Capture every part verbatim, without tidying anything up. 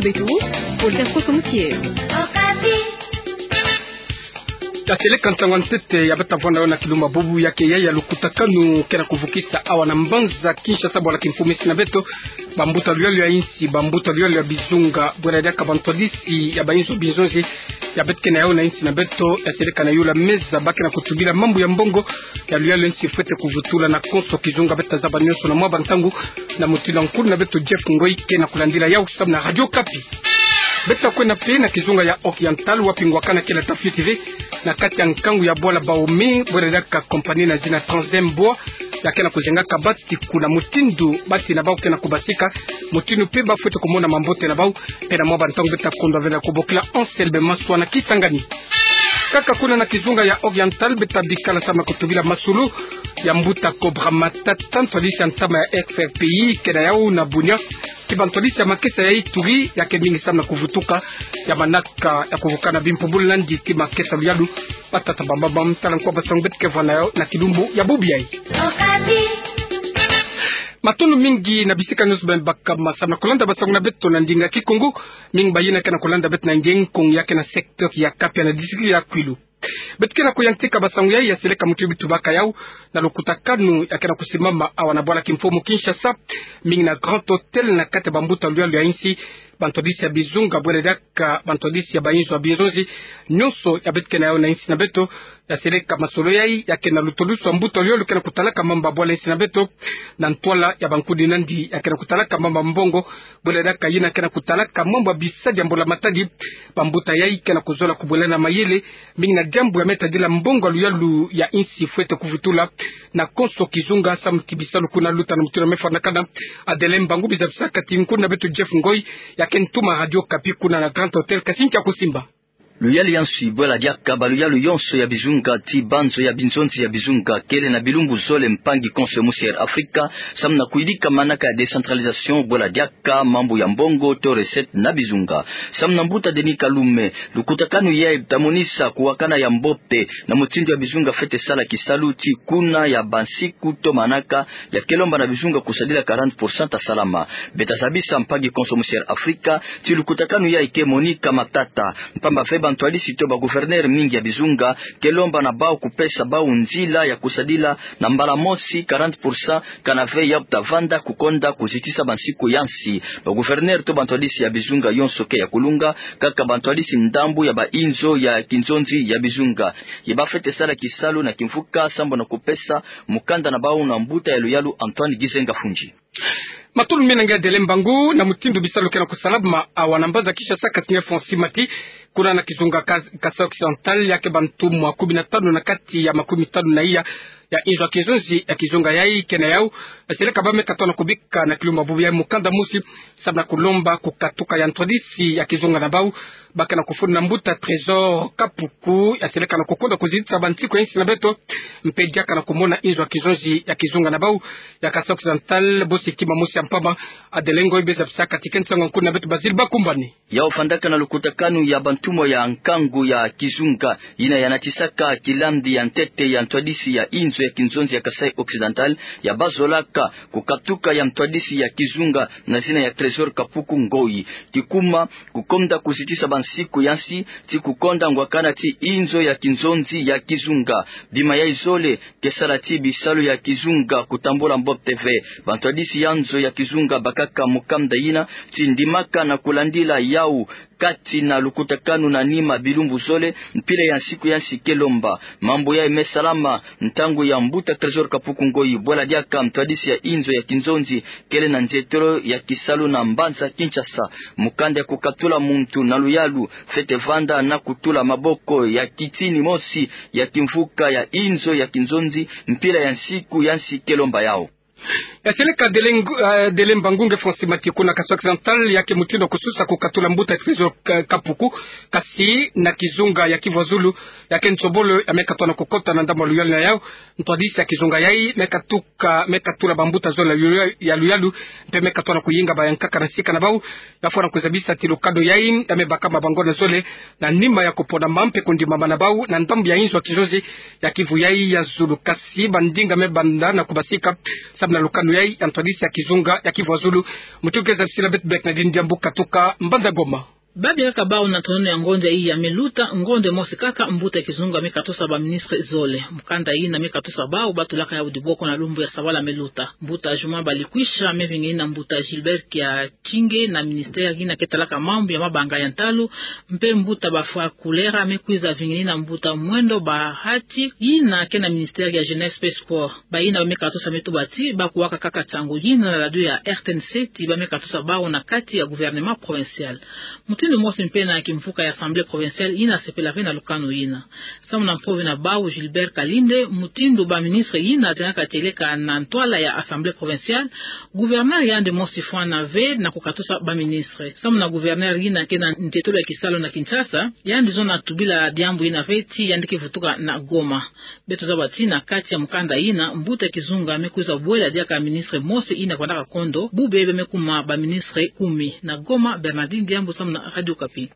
Beto, Voltaire Kosomusie. Ya seleka ntangu ya ntete ya beta vwanda yo na kilumbu bubu ya ke ya ya lukutakanu ke na kuvukisa awa na mbanza Kinshasa bwala kimfumu insi na beto. Bambuta luyalu ya insi, bambuta luyalu ya bizunga, bwela diaka bantwadisi ya bayinzo bizonzi ya beti ke na yau na insi na beto, ya seleka na yula meza ba ke na kutubila mambu ya mbongo ya luyalu ya insi fwete kuvutula na konso kizunga. Beta zaba nyonso na mwa bantangu na mutindu ya nkulu na beto Jeff Ngoi ke na kulandila yau samu na Radio Okapi. Beta kwenda mpe na kizunga ya Oriental, wapi ngwakana ke na tafioti ve na kati ya nkangu ya bwala Baomi, bwela diaka compagnie na zina Transem Bois, ya ke na kuzengaka bati kuna mutindu bati na bau ke na kubasika, mutindu mpe ba fwete kumona mambote na bau. Mpe na mwa bantangu beta kondwa ve na kubokila Anselme Maswa na Kisangani. Kaka kuna na kizunga ya Oriental, beta bikala samu na kutubila masolo ya mbuta Cobra Matata, ntwadisi ya ntama ya F R P I, ke na yau na Bunia, ti bantwadisi ya makesa ya Ituri, ya ke mingi samu na kuvutuka ya manaka ya kuvukana bimpumbulu nandi ti makesa luyalu. Batata bambamba, tala nkwa basangu beti ke vwa na yau na kilumbu ya bubu yai. Matondo mingi na bisika nyonso beno baka ma samu na kulanda basangu na beto na ndinga Kikongo. Mingi bayina ke na kulanda beto na nge nkongo ya ke na secteur ya Kapia na district ya Kwilu. Beto ke na kuyantika basangu yai ya seleka mutindu bitubaka yau na lukutakanu ya ke na kusimama awa na bwala kimfumu Kinshasa, mingi na Grand Hôtel, na kati ya bambuta luyalu ya insi, bantwadisi ya bizunga, bwela diaka bantwadisi ya bayinzo ya bizonzi nyonso ya beti ke na yau na insi na beto. Ya seleka masolo yai ya ke na lutulusu ya mbuta luyalu ke na kutalaka mambu ya bwala insi na beto, na ntwala ya bankudi nandi ya ke na kutalaka mambu ya mbongo, bwela diaka yina ke na kutalaka mambu ya bisadi ya mbula matadi. Bambuta yai ke na kuzola kubwelana mayele mingi na diambu ya me tadila mbongo ya luyalu ya insi fwete kuvutula na konso kizunga samu ti bisalu kuna luta na mutindu ya me fwanakana. Adelin Mbangu, bizabisaka ti nkulu na beto Jeff Ngoi ya ke ntuma Radio Okapi kuna na Grand Hôtel, kasi nkia kusimba. Luyalu ya nsi, bwela diaka baluyalu yonso ya bizunga ti banzo ya binzonzi ya bizunga kele na bilumbu zole, mpangi konso musi ya Afrika, samu na kuyidika manaka ya décentralisation, bwela diaka mambu ya mbongo to recette na bizunga. Samu na mbuta Denis Kalume, lukutakanu yai ta monisa kuwakana ya mbote na mutindu ya bizunga fwete sala kisalu ti kuna ya bansiku to manaka ya ke lomba na bizunga kusadila quarante pour cent ta salama. Beta zabisa mpangi konso musi ya Afrika ti lukutakanu yai ke monika matata, mpamba ve bantwadisi to bagouverneur mingi ya bizunga ke lomba na bau kupesa bau nzila ya kusadila na mbala mosi quarante pour cent, kana ve yau ta vanda kukonda kuzitisa bansiku ya nsi. Bagouverneur to bantwadisi ya bizunga yonso ke ya kulunga, kaka bantwadisi ndambu ya bayinzo ya kinzonzi ya bizunga, ye ba fwete sala kisalu na kimvuka sambu na kupesa mukanda na bau na mbuta ya luyalu Antoine Gizenga Fundji. Matondo mingi na nge Adelin Mbangu. Na mutindu bisalu ke na kusalama awa na mbanza Kinshasa, kasi nge Francis Mati, kuna na kizunga Kas-, Kasai Occidental, ya ke bantumwa kumi na tanu na kati ya makumi tanu na iya ya inzo ya kinzonzi ya kizunga yai ke na yau, ya seleka ba me katoa na kubika na kilumbu bubu yai mukanda mosi samu na kulomba kukatuka ya ntwadisi ya kizunga na bau, ba ke na kufunda na mbuta Trésor Kapuku, ya seleka na kukonda kuzitisa bansiku ya insi na beto, mpe diaka na kumona inzo ya kinzonzi ya kizunga na bau ya Kasai Occidental, bosi kima mosi ya mpamba. Adelin Ngoi, beza bisaka ti ke nsangu ya nkulu na beto Bazile Bakumbani. Yau vandaka na lukutakanu ya bantumwa ya nkangu ya kizunga, yina ya natisaka kilandi ya ntete ya ntwadisi ya inzo ya kinzonzi ya Kasai Occidental, ya bazolaka kukatuka ya ntwadisi ya kizunga na zina ya Trésor Kapuku Ngoi. Kikuma, kukonda kuzitisa bansiku ya nsi, ti kukonda ngwakana ti inzo ya kinzonzi ya kizunga. Bima yai zole ke sala ti bisalu ya kizunga kutambula mbote ve. Bantwadisi ya nzo ya kizunga bakaka mukanda yina ti ndimaka na kulandila yau kati na lukutakanu na nima bilumbu zole, mpila ya nsiku ya nsi ke lomba. Mambu yai me salama ntangu ya mbuta Trésor Kapuku Ngoi, bwela diaka ntwadisi ya inzo ya kinzonzi kele na nzietolo ya kisalu na mbanza Kinshasa. Mukanda ya kukatula muntu na luyalu fwete vanda na kutula maboko ya kitini mosi ya kimvuka ya inzo ya kinzonzi, mpila ya nsiku ya nsi ke lomba yau. Ya seleka Adelin Ngu-, eh, Adelin Mbangu nge Francis Mati kuna Kasai Occidental, ya ke mutindu ya kususa kukatula mbuta Trésor Ka-, Kapuku, kasi na kizunga ya Kivu ya Zulu, ya ke nsobolo ya me katoa na kukota na ndambu ya luyalu na yau, ntwadisi ya kizunga yai me katuka, me katula bambuta zole ya luya-, ya luyalu, mpe me katoa na kuyinga bayankaka na sika na bau, ya fwana kuzabisa ti lukado yai ya me baka mabango na zole, na nima ya kupona mambu mpe kundimama na bau na ndambu ya inzo ya kinzonzi ya Kivu yai ya Zulu. Kasi bandinga me banda na kubasika samu na lukanu yayi ya ntwadisi ya kizunga ya Kivu ya Zulu. Mutindu keza bisila beto, Bernardine Diambu katuka mbanza Goma. Babia kaka bau na ntonono ya ngonde yayi ya me luta, ngonde mosi kaka mbuta kizunga me katosa ba ministre zole. Mukanda yina me katosa bau batulaka yau diboko na lumbu ya sabala me luta. Mbuta Juma Balikwisha me vingina mbuta Gilbert Kiakinge na ministère yina ke talaka mambu ya mabanga ya ntalu, mpe mbuta Bafwa Kulera me kwiza vingina mbuta Mwendo Bahati yina ke na ministère ya jeunesse mpe sport. Bayina ba me katosa me tuba ti bakuwaka kaka nsangu yina na radio ya R T N C ti ba me katosa bau na kati ya gouvernement provincial. Mutindu mosi mpe na kimvuka ya assemblée provinciale yina sepela ve na lukanu yina. Samu na mpove na bau Gilbert Kalinde, mutindu ba ministre yina tengaka tieleka na ntwala ya assemblée provinciale, gouverneur yandi mosi fwana ve na kukatosa ba ministre. Samu na gouverneur yina ke na ntetolo ya kisalu na Kinshasa, yandi zona tubila diambu yina ve ti yandi ke vutuka na Goma. Beto zaba ti na kati ya mukanda yina, mbuta kizunga me kwiza bwela diaka ministre mosi yina vandaka kondo, bubebe me kuma ba ministre kumi. Na Goma, Bernardine Diambu samu na Radio Okapi.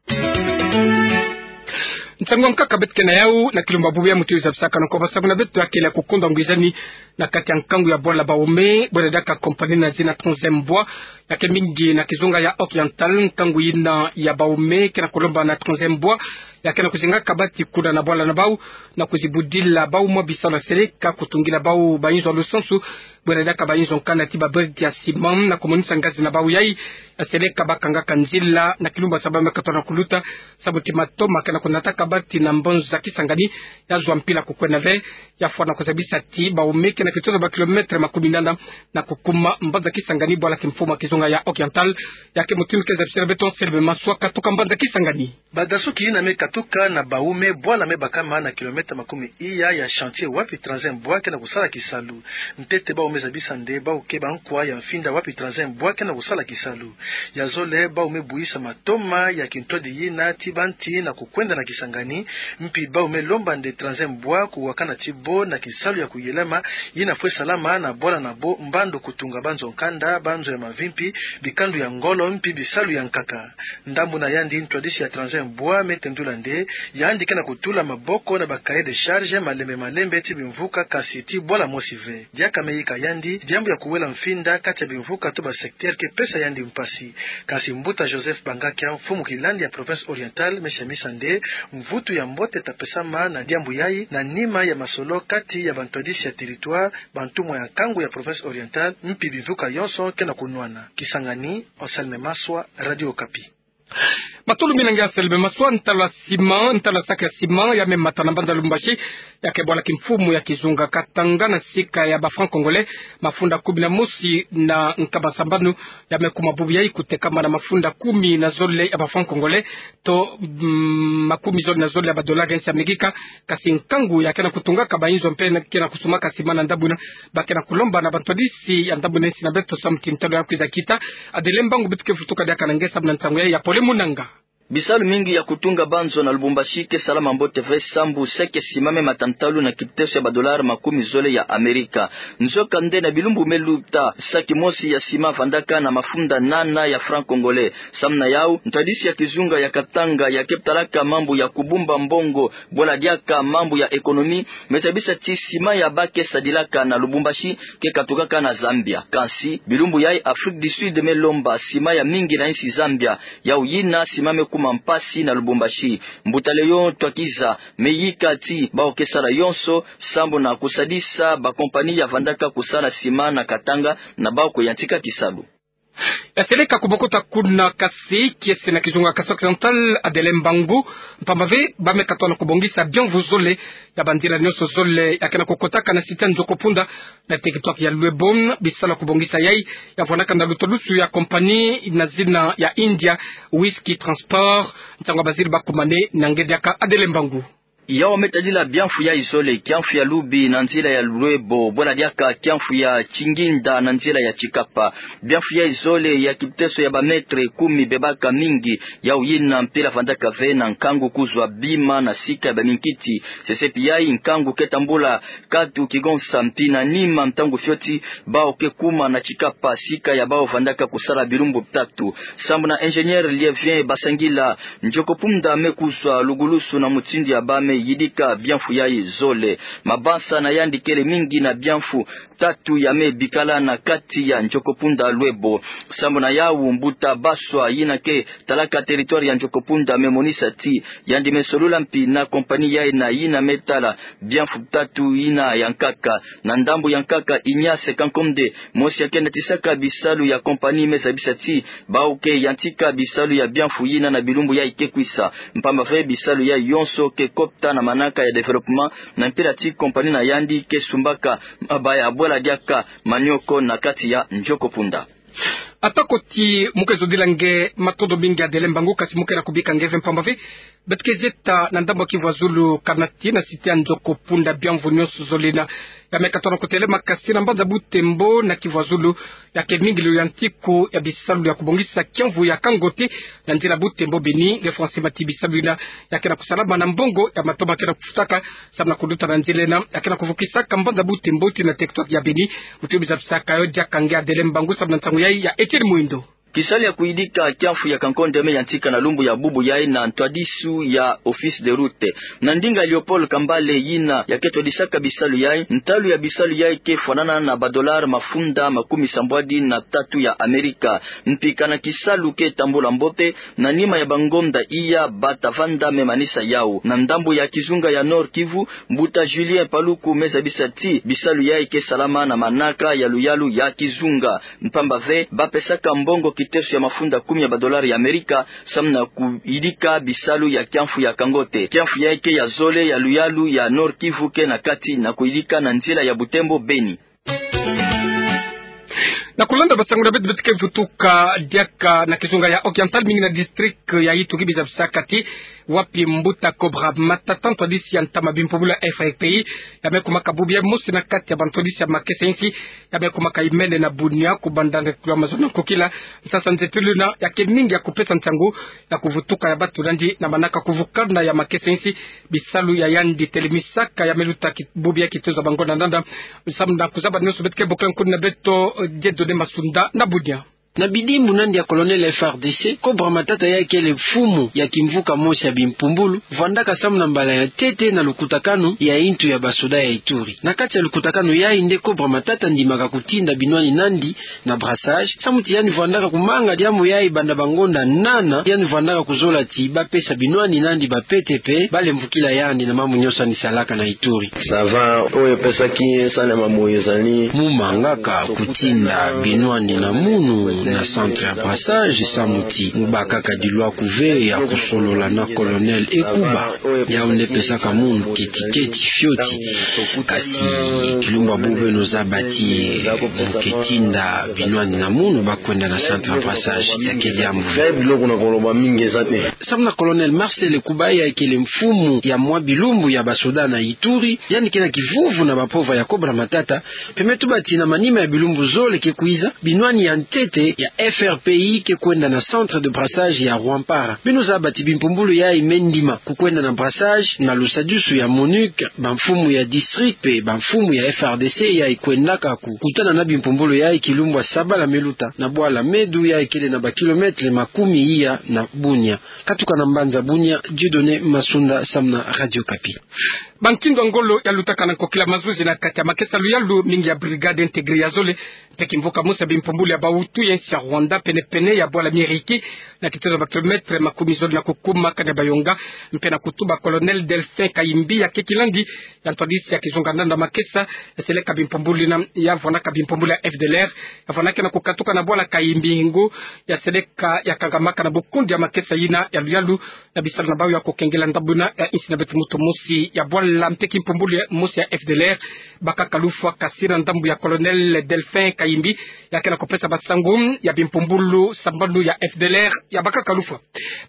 Nsangu ya nkaka beto ke na yau na kilumbu ya bubu ya mutindu zabisaka na nkoba samu na beto ya kele ya kukonda ngwizani na kati ya nkangu ya bwala baume, bwala diaka compagnie na zina Troisième Bois, ya ke mingi na kizunga ya Oriental. Nkangu yina ya baume ke na kulomba na Troisième Bois, ya ke na kuzinga kabati kuna na bwala na bau, na kuzibudila bau mwa bisalu ya seleka, kutungila bau ba inzo ya lusansu, bwala diaka ba inzo nkanda ti ba brique ya ciment, na kumonisa ngazi na bau yayi ya seleka ba kangaka nzila na kilumbu ya saba me katola na kuluta, samu ti matoma ke na kunata kabati na mbanza Kisangani ya zwa mpila kukwenda ve, ya fwana kuzabisa ti baume ke na kitoto ba kilomètre makumi nana na kukuma mbanza Kisangani, bwala kimfumu ya kizunga ya Oriental. Ya ke mutindu keza bisila beto Anselme Maswa katoka mbanza Kisangani. Badasuki yina me katuka na baume bwala me bakama na kilomètre makumi iya ya chantier wapi Troisième Bois ke na kusala kisalu. Ntete bau me zabisa nde bau ke ba nkwa ya mfinda wapi Troisième Bois ke na kusala kisalu. Ya zole bau me buyisa matoma ya kintwadi yina ti banti na kukwenda na Kisangani, mpi bau me lomba nde Troisième Bois kuwakana ti bo na kisalu ya kuyelema yina fwe salama na bwala na bo, mbandu kutunga banzo nkanda, banzo ya mavimpi, bikandu ya ngolo mpi bisalu ya nkaka. Ndambu na yandi, ntwadisi ya Troisième Bois me tendula nde yandi ke na kutula maboko na ba cahier de charge malembe malembe ti bimvuka, kasi ti bwala mosi ve. Diaka me yika yandi diambu ya kuwela mfinda kati ya bimvuka to ba secteur ke pesa yandi mpasi. Kasi mbuta Joseph Bangakia, mfumu kilandi ya province Oriental, me semisa nde mvutu ya mbote ta pesama na diambu yayi na nima ya masolo kati ya bantwadisi ya territoire, bantumwa ya nkangu ya province Oriental, mpi bimvuka yonso ke na kunwana. Kisangani, Anselme Maswa, Radio Okapi. Matolo mina nge Anselme Maswa. Ntalu ya ciment, ntalu ya sac ya ciment ya me mata na mbanza Lubumbashi, ya ke bwala kimfumu ya kizunga Katanga na sika ya ba francs congolais mafunda kumi na mosi na nkama sambanu, ya me kuma bubu yayi kutekama na mafunda kumi na zole ya ba francs congolais, to, mm, makumi zole na zole ya ba dollars ya nsi ya Amerika. Kasi nkangu ya ke na kutungaka ba inzo mpe na ke na kusumaka ciment na ndambu yina, ba ke na kulomba na bantwadisi ya ndambu yina nsi na beto samu ti ntalu ya kwiza kita. Adele Mbangu beto ke vutuka diaka na nge samu na nsangu yayi ya pole mu nanga. Bisalu mingi ya kutunga banzo na Lubumbashi ke salama mbote ve sambu sac ya ciment me mata ntalu na kiteso ya ba dollars makumi zole ya Amerika. Nzoka nde na bilumbu me luta, sac mosi ya ciment vandaka na mafunda nana ya francs congolais. Samu na yau, ntwadisi ya kizunga ya Katanga ya ke talaka mambu ya kubumba mbongo, bwala diaka mambu ya économie, me zabisa ti ciment ya ba ke sadilaka na Lubumbashi ke katukaka na Zambia. Kasi bilumbu yayi Afrique du Sud me lomba ciment ya mingi na nsi Zambia, yau yina ciment me kuma mpasi na Lubumbashi. Mbuta Léon Twakiza me yika ti bau ke sala yonso sambu na kusadisa ba compagnie ya vandaka kusala ciment na Katanga na bau kuyantika kisalu. Ya seleka kubokota kuna, kasi kiese na kizunga Kasaï Occidental, Adele Mbangu, mpamba ve ba me katoa na kubongisa bienvu zole ya banzila nyonso zole ya ke na kukotaka na site Nzoko Punda na territoire ya Luebo. Bisalu ya kubongisa yayi ya vwanaka na lutwadusu ya compagnie na zina ya India, Whisky Transport. Nsangu ya baziri bakumane na nge diaka, Adele Mbangu. Yau me tadila bienvu yayi zole: kiamvu ya Lubi na nzila ya Luebo, bwala diaka kiamvu ya Kinginda na nzila ya Tshikapa. Bienvu yayi zole ya kiteso ya ba mètres kumi bebaka mingi, yau yina mpila vandaka ve na nkangu kuzwa bima na sika ya baminkiti. Sesepi yayi nkangu ke tambula katu kigonsa mpi na nima, ntangu fioti bau ke kuma na Tshikapa, sika ya bau vandaka kusala bilumbu bitatu. Sambu na ingénieur Lievien Basangila, Nzoko Punda me kuzwa lugulusu na mutindu ya ba me yidika biamfu yayi zole. Mabansa na yandi kele mingi na biamfu tatu ya me bikala na kati ya Ndiokompunda Loebo. Sambu na yawu, mbuta Baswa yina ke talaka territoire ya Ndiokompunda me monisa ti yandi me solola mpi na compagnie yayi na yina me tala biamfu tatu yina ya nkaka. Na ndambu ya nkaka, Ignace Kankomde, mosi ya ke natisaka bisalu ya compagnie, me zabisa ti bawu ke yantika bisalu ya biamfu yina na bilumbu yayi ke kwisa, mpamba ve bisalu yayi yonso ke kota na manaka ya développement, na mpila ti compagnie na yandi ke sumbaka mabaya bwala diaka manioko na kati ya Ndiokompunda. Atako ti mu ke zodila nge, matondo mingi Adele Mbangu, kasi mu ke na kubika nge ve mpamba ve beto ke zieta na ndambu ya Kivu Azulu, kana ti na site ya Ndiokompunda biamfu nionso zole yina ya me katono kutêle makasi na mbanza Butembo na Kivu Azulu, ya ke mingi lo yantiku ya bisalu ya kubongisa kiamvu ya Kangote na nzila Butembo Beni. Nge François Mati, bisalu yina ya ke na kusalama na mbongo ya matoma ke na kufutaka, samu na kuluta na nzila yina ya ke na kuvukisaka mbanza Butembo tii na territoire ya Beni. Mutu yo biza bisaka yo diaka nge Adele Mbangu samu na ntangu yayi ya Etienne Mwindo. Kisalu ya kuyidika kiamfu ya Kangote me yantika na lumbu ya bubu yayi na ntwadisu ya Office des Routes. Na ndinga Léopold Kambale yina ya ke twadisaka bisalu yayi, ntalu ya bisalu yayi ke fwanana na ba dollars mafunda makumi sambwadi na tatu ya Amerika. Mpi kana kisalu ke tambula mbote, na nima ya bangonda iya bata vanda me manisa yawu. Na ndambu ya kizunga ya Nord-Kivu, mbuta Julien Paluku me zabisa ti bisalu yayi ke salama na manaka ya luyalu ya kizunga. Mpamba ve ba pesaka mbongo kiteso ya mafunda kumi ya ba dollars ya Amerika samu na kuyidika bisalu ya kiamfu ya Kangote. Kiamfu yayi ke ya zole ya luyalu ya Nord-Kivu ke na kati na kuyidika na nzila ya Butembo Beni. Na kulanda basangu na beto, beto ke vutuka diaka na kizunga ya Oriental, mingi na district ya Ituri, biza bisaka ti wapi mbuta Cobra Matata, ntwadisi ya ntama bimpumbulu ya F R P I, ya me kumaka bubu ya mosi na kati ya bantwadisi ya makesa insi ya me kumaka imene na Bunia, kubanda nge kula mazono nkokila. Nsasa nzepeluna ya ke mingi ya kupesa nsangu ya kuvutuka ya bato nandi na manaka kuvukana ya makesa insi bisalu ya yandi telemisaka ya me luta ki-, bubu ya kitezo ya bangonda na nanda. Samu na kuzaba nionso, beto ke bokila nkuni na beto, eh, Dieudonné Masunda na Bunia. Na bidimbu nandi ya colonel F R D C, Cobra Matata yayi kele mfumu ya kimvuka mosi ya bimpumbulu, vwandaka samu na mbala ya ntete na lukutakanu ya intu ya basoda ya Ituri. Na kati ya lukutakanu yayi nde Cobra Matata andimaka kutinda binwani nandi na brassage, samu ti yandi vwandaka kumanga diambu yayi banda bangonda nana, yandi vwandaka kuzola ti bapesa binwani nandi ba pete mpe balemvukila yandi na mambu nionso yandi salaka na Ituri. Ça va, oyo epesaki ye nsangu ya mamoyo ezali mu mangaka kutinda binwani na munu na centre ya brassage, samu ti mu bakaka dilwaku ve ya kusolola na colonel Ekuba. Yawu nde epesaka munu ketiketi fioti. Kasi kilumbu bubu beno zaba ti mu ke tinda binwani na munu, ba kwenda na centre ya brassage, ya ke diambu ve. Samu na colonel Marcel Ekuba yayi kele mfumu ya mwa bilumbu ya basoda na Ituri, yandi ke na kivuvu na bampova ya Cobra Matata, mpe me tuba ti na manima ya bilumbu zole ke kwiza, binwani ya ntete ya F R P I ke kwenda na centre de brassage ya Rwampara. Beno zaba ti bimpumbulu yayi me ndima kukwenda na brassage na lusadisu ya MONUC, bamfumu ya district mpe bamfumu ya F R D C yayi kwendaka kukutana na bimpumbulu yayi kilumbu ya sabala me luta na bwala Medu yayi kele na ba kilomètres makumi iya na Bunia. Katuka na mbanza Bunia, Dieudonné Masunda samu na Radio Okapi. Bankindu ya ngolo ya lutaka na nkokila mazuzi na kati ya makesa luyalu mingi ya brigade intégrée ya zole, mpe kimvuka mosi ya bimpumbulu ya ba Hutu ya insi ya Rwanda, penepene ya bwala Miriki, na kitezo ya ba kilomètres makumi zole na kukuma Kanyabayonga, mpe na kutuba colonel Delphin Kayimbi, ya ke kilandi ya ntwadisi ya kizunga nanda makesa, ya seleka bimpumbulu yina ya vwanaka bimpumbulu ya F D L R, ya vwanaki na kukatuka na bwala Kayimbi ngu ya seleka ya kangamaka na bukundi ya makesa yina ya luyalu, na bisalu na bawu ya kukengela ndambu yina ya insi na beto. Moto mosi ya bwala mpe kimpumbulu mosi ya F D L R bakaka lufwa, kasi na ndambu ya colonel Delphin Kayimbi, ya ke na kupesa basangu ya bimpumbulu sambanu ya F D L R ya bakaka lufwa.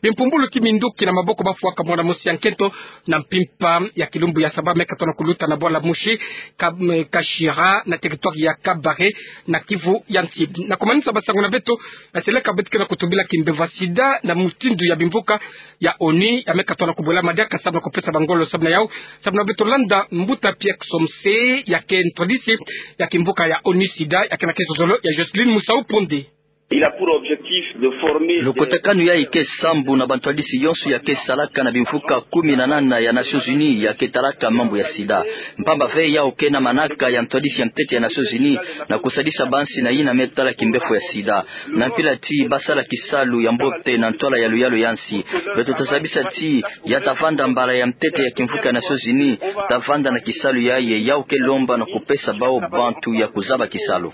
Bimpumbulu kiminduki na maboko bafwaka mwana mosi ya nkento na mpimpa ya kilumbu ya saba me katono kuluta na bwala Mushi Ka-, Kashira na territoire ya Kabare na Kivu ya Nsi. Na kumanisa basangu na beto, ya seleka beto ke na kutubila kimbemvo ya sida na mutindu ya bimvuka ya ONU ya me katono kubwela madiaka samu na kupesa ba ngolo. Samu na yawu, samu na beto landa mbuta Pierre Somse, ya ke ntwadisi ya kimvuka ya ONU sida, ya ke na kizozolo ya Jocelyne Musau Ponde. Il a pour objectif de former. Lukutakanu yayi ke sambu na bantwadisi yonso ya ke salaka na bimvuka kumi na nana ya Nations Unies ya ke talaka mambu ya sida. Mpamba ve yawu ke na manaka ya ntwadisi ya ntete ya Nations Unies na kusadisa bansi na yina me tala kimbefo ya sida. Na mpila ti basala kisalu ya mbote na ntwala ya luyalu ya nsi. Beto tazabisa ti ya tavanda mbala ya ntete ya kimvuka ya Nations Unies, tavanda na kisalu yayi, yawu ke lomba na kupesa bawu bantu ya kuzaba kisalu.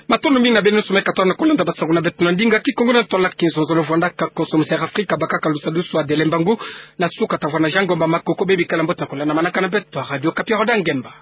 Matondo mingi na beno nyonso me katwala na kulanda basangu na beto na ndinga Kikongo na ntwala kizonzolo vwandaka konso mu Sera Afrika, bakaka lusadusu Adele Mbangu. Na suka tavwanda Jean Ngomba Makoko, bebikala mbote na kulanda manaka na beto a Radio Okapi, Roda Ngemba.